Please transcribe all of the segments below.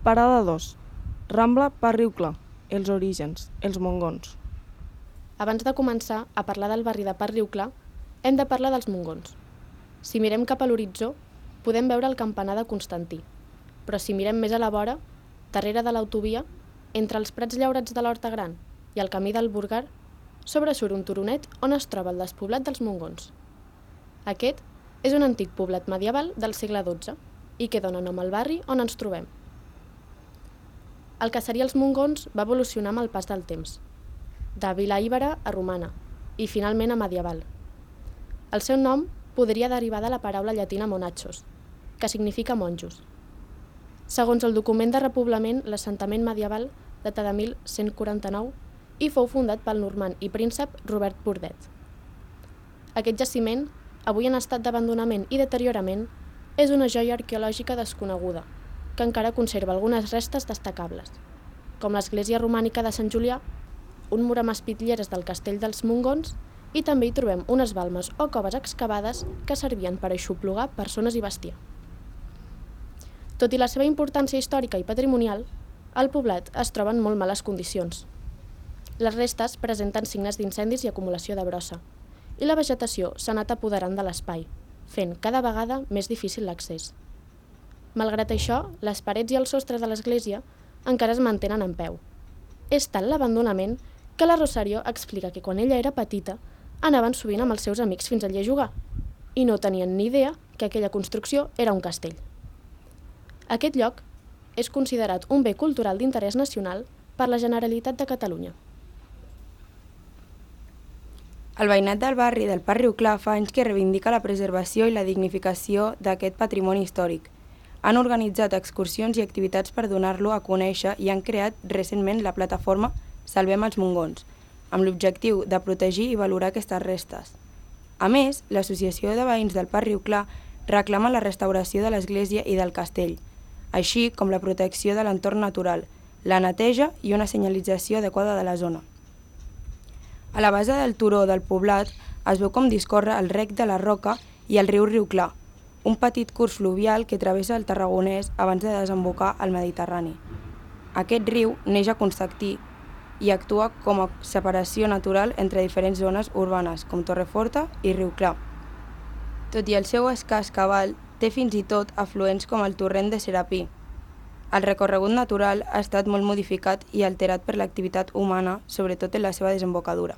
Parada 2. Rambla per Riu Clar. Els orígens, els mongons. Abans de començar a parlar del barri de Parc Riu Clar, hem de parlar dels mongons. Si mirem cap a l'horitzó, podem veure el campanar de Constantí, però si mirem més a la vora, darrere de l'autovia, entre els prats llaurats de l'Horta Gran i el camí del Burgar, sobresurt un turonet on es troba el despoblat dels mongons. Aquest és un antic poblat medieval del segle XII i que dona nom al barri on ens trobem. El que seria els mongons va evolucionar amb el pas del temps, de vila íbera a romana i finalment a medieval. El seu nom podria derivar de la paraula llatina monachos, que significa monjos. Segons el document de repoblament, l'assentament medieval data de 1149 i fou fundat pel normand i príncep Robert Bordet. Aquest jaciment, avui en estat d'abandonament i deteriorament, és una joia arqueològica desconeguda, que encara conserva algunes restes destacables, com l'església romànica de Sant Julià, un mur amb espitlleres del castell dels Mongons i també hi trobem unes balmes o coves excavades que servien per aixoplugar persones i bestiar. Tot i la seva importància històrica i patrimonial, el poblat es troba en molt males condicions. Les restes presenten signes d'incendis i acumulació de brossa, i la vegetació s'ha anat apoderant de l'espai, fent cada vegada més difícil l'accés. Malgrat això, les parets i el sostre de l'església encara es mantenen en peu. És tal l'abandonament que la Rosario explica que quan ella era petita anaven sovint amb els seus amics fins allí a jugar i no tenien ni idea que aquella construcció era un castell. Aquest lloc és considerat un bé cultural d'interès nacional per la Generalitat de Catalunya. El veïnat del barri del Parc Riu Clar fa anys que reivindica la preservació i la dignificació d'aquest patrimoni històric. Han organitzat excursions i activitats per donar-lo a conèixer i han creat recentment la plataforma Salvem els Mongons, amb l'objectiu de protegir i valorar aquestes restes. A més, l'Associació de Veïns del Parc Riu Clar reclama la restauració de l'església i del castell, així com la protecció de l'entorn natural, la neteja i una senyalització adequada de la zona. A la base del turó del poblat es veu com discorre el rec de la Roca i el riu Riu Clar, un petit curs fluvial que travessa el Tarragonès abans de desembocar al Mediterrani. Aquest riu neix a Constantí i actua com a separació natural entre diferents zones urbanes, com Torreforta i Riu Clar. Tot i el seu escàs cabal, té fins i tot afluents com el torrent de Serapí. El recorregut natural ha estat molt modificat i alterat per l'activitat humana, sobretot en la seva desembocadura.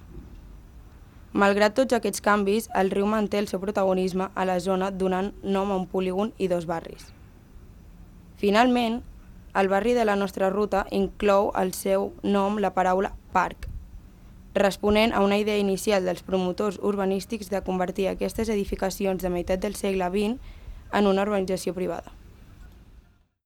Malgrat tots aquests canvis, el riu manté el seu protagonisme a la zona donant nom a un polígon i 2 barris. Finalment, el barri de la nostra ruta inclou al seu nom la paraula parc, responent a una idea inicial dels promotors urbanístics de convertir aquestes edificacions de meitat del segle XX en una urbanització privada.